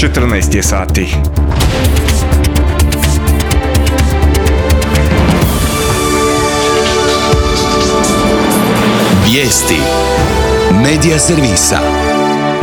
14 je sati. Vijesti Medija servisa.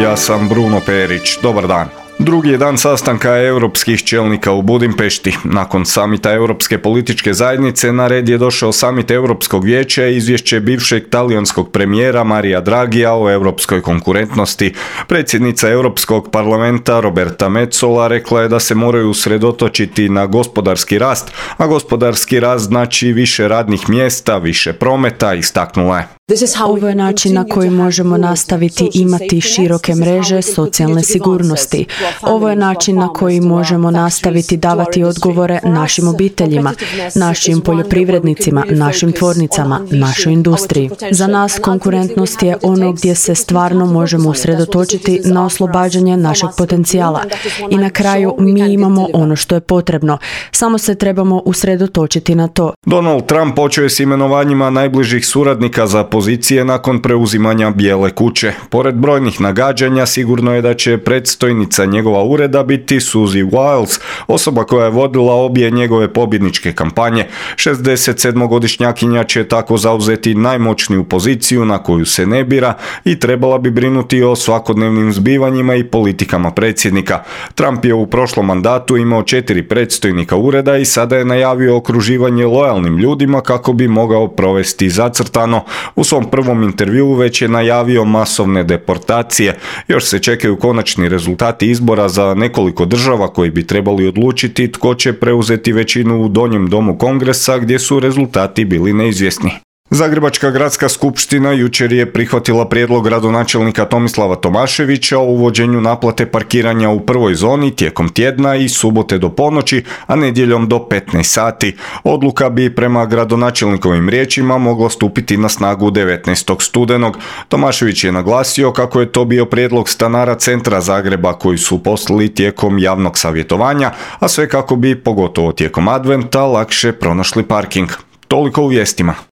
Ja sam Bruno Perić. Dobar dan. Drugi je dan sastanka europskih čelnika u Budimpešti. Nakon samita Europske političke zajednice na red je došao samit Europskog vijeća i izvješće bivšeg talijanskog premijera Maria Draghija o europskoj konkurentnosti. Predsjednica Europskog parlamenta Roberta Metsola rekla je da se moraju usredotočiti na gospodarski rast, a gospodarski rast znači više radnih mjesta, više prometa, istaknula je. Ovo je način na koji možemo nastaviti imati široke mreže socijalne sigurnosti. Ovo je način na koji možemo nastaviti davati odgovore našim obiteljima, našim poljoprivrednicima, našim tvornicama, našoj industriji. Za nas konkurentnost je ono gdje se stvarno možemo usredotočiti na oslobađanje našeg potencijala. I na kraju mi imamo ono što je potrebno. Samo se trebamo usredotočiti na to. Donald Trump počeo je s imenovanjima najbližih suradnika za pozicije nakon preuzimanja Bijele kuće. Pored brojnih nagađanja, sigurno je da će predstojnica njegova ureda biti Suzy Wiles, osoba koja je vodila obje njegove pobjedničke kampanje. 67-godišnjakinja će tako zauzeti najmoćniju poziciju na koju se ne bira i trebala bi brinuti o svakodnevnim zbivanjima i politikama predsjednika. Trump je u prošlom mandatu imao 4 predstojnika ureda i sada je najavio okruživanje lojalnim ljudima kako bi mogao provesti zacrtano. U svom prvom intervjuu već je najavio masovne deportacije. Još se čekaju konačni rezultati izbora za nekoliko država koji bi trebali odlučiti tko će preuzeti većinu u donjem domu Kongresa gdje su rezultati bili neizvjesni. Zagrebačka gradska skupština jučer je prihvatila prijedlog gradonačelnika Tomislava Tomaševića o uvođenju naplate parkiranja u prvoj zoni tijekom tjedna i subote do ponoći, a nedjeljom do 15 sati. Odluka bi prema gradonačelnikovim riječima mogla stupiti na snagu 19. studenog. Tomašević je naglasio kako je to bio prijedlog stanara centra Zagreba koji su poslali tijekom javnog savjetovanja, a sve kako bi, pogotovo tijekom adventa, lakše pronašli parking. Toliko u vijestima.